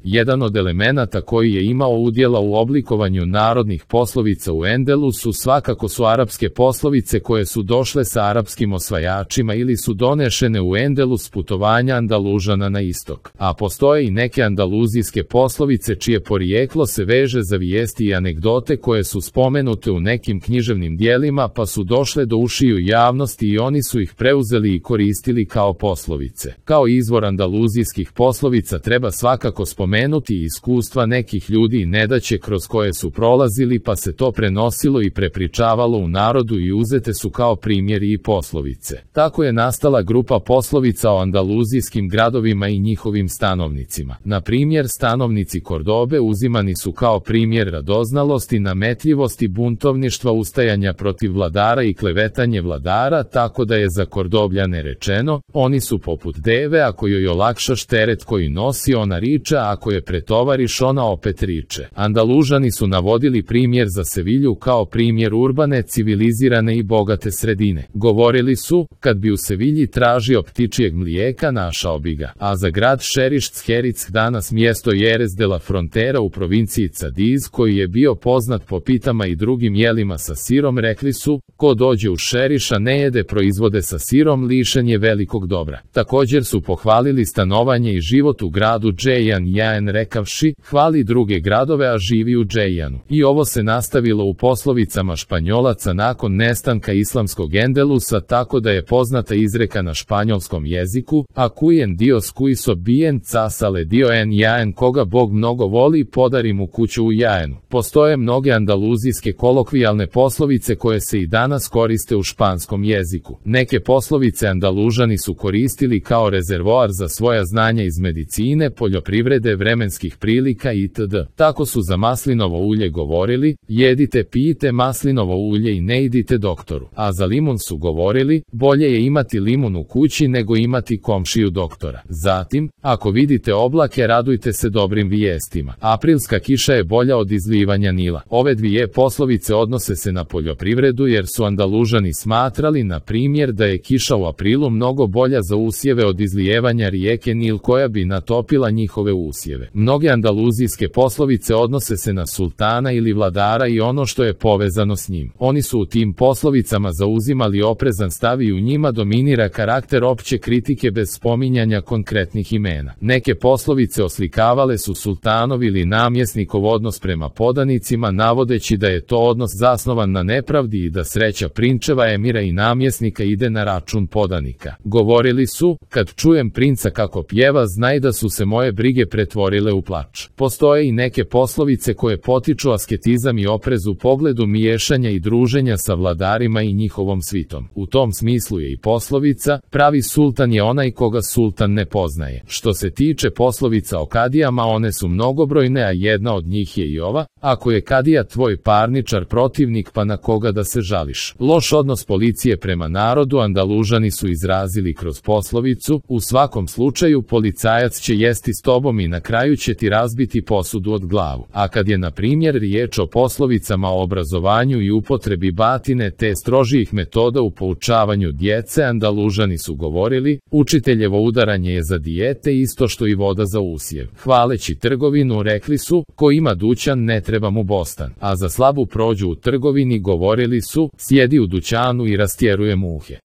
Jedan od elemenata koji je imao udjela u oblikovanju narodnih poslovica u Endelusu svakako su arapske poslovice koje su došle sa arapskim osvajačima ili su donešene u Endelus putovanja Andalužana na istok. A postoje i neke andaluzijske poslovice čije porijeklo se veže za vijesti i anegdote koje su spomenute u nekim književnim dijelima pa su došle do ušiju javnosti i oni su ih preuzeli i koristili kao poslovice. Kao izvor andaluzijskih poslovica treba svakako spomenuti iskustva nekih ljudi i nedaće kroz koje su prolazili pa se to prenosilo i prepričavalo u narodu i uzete su kao primjeri i poslovice. Tako je nastala grupa poslovica o andaluzijskim gradovima i njihovim stanovnicima. Na primjer, stanovnici Kordobe uzimani su kao primjer radoznalosti, nametljivosti, buntovništva, ustajanja protiv vladara i klevetanje vladara, tako da je za Kordobljane rečeno: oni su poput deve, ako joj olakšaš teret koji nosi, ona riče, a ako je pretovariš, ona opet riče. Andalužani su navodili primjer za Sevilju kao primjer urbane, civilizirane i bogate sredine. Govorili su: kad bi u Sevilji tražio ptičijeg mlijeka, našao bi ga. A za grad Šerišc, danas mjesto Jerez de la Frontera u provinciji Cadiz, koji je bio poznat po pitama i drugim jelima sa sirom, rekli su: ko dođe u Šeriš a ne jede proizvode sa sirom, lišen je velikog dobra. Također su pohvalili stanovanje i život u gradu Džejan, rekavši: hvali druge gradove a živi u Džejanu. I ovo se nastavilo u poslovicama Španjolaca nakon nestanka islamskog Endelusa, tako da je poznata izreka na španjolskom jeziku: a quien Dios quiso bien casale dio en jaen, koga Bog mnogo voli, podari mu kuću u Jaenu. Postoje mnoge andaluzijske kolokvijalne poslovice koje se i danas koriste u španskom jeziku. Neke poslovice Andalužani su koristili kao rezervoar za svoja znanja iz medicine, poljoprivrede, vremenskih prilika itd. Tako su za maslinovo ulje govorili: jedite, pijte maslinovo ulje i ne idite doktoru. A za limun su govorili: bolje je imati limun u kući nego imati komšiju doktora. Zatim, ako vidite oblake, radujte se dobrim vijestima. Aprilska kiša je bolja od izlivanja Nila. Ove dvije poslovice odnose se na poljoprivredu jer su Andalužani smatrali, na primjer, da je kiša u aprilu mnogo bolja za usjeve od izlijevanja rijeke Nil koja bi natopila njihove usjeve. Mnoge andaluzijske poslovice odnose se na sultana ili vladara i ono što je povezano s njim. Oni su u tim poslovicama zauzimali oprezan stav i u njima dominira karakter opće kritike bez spominjanja konkretnih imena. Neke poslovice oslikavale su sultanov ili namjesnikov odnos prema podanicima, navodeći da je to odnos zasnovan na nepravdi i da sreća prinčeva, emira i namjesnika ide na račun podanika. Govorili su: kad čujem princa kako pjeva, znaj da su se moje brige pretvorile u plač. Postoje i neke poslovice koje potiču asketizam i oprez u pogledu miješanja i druženja sa vladarima i njihovom svitom. U tom smislu je i poslovica: pravi sultan je onaj koga sultan ne poznaje. Što se tiče poslovica o kadijama, one su mnogobrojne, a jedna od njih je i ova: ako je kadija tvoj parničar, protivnik, pa na koga da se žališ. Loš odnos policije prema narodu Andalužani su izrazili kroz poslovicu: u svakom slučaju policajac će jesti s tobom i na kraju će ti razbiti posudu od glavu. A kad je na primjer riječ o poslovicama o obrazovanju i upotrebi batine te strožijih metoda u poučavanju djece, Andalužani su govorili: učiteljevo udaranje je za dijete isto što i voda za usjev. Hvaleći trgovinu rekli su: ko ima dućan ne treba mu bostan. A za slabu prođu u trgovini govorili su: sjedi u dućanu i rastjeruje muhe.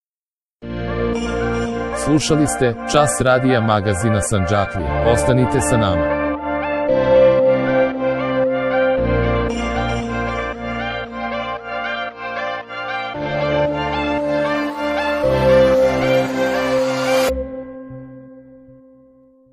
Slušali ste Čas radija magazina Sandžaklija. Ostanite sa nama.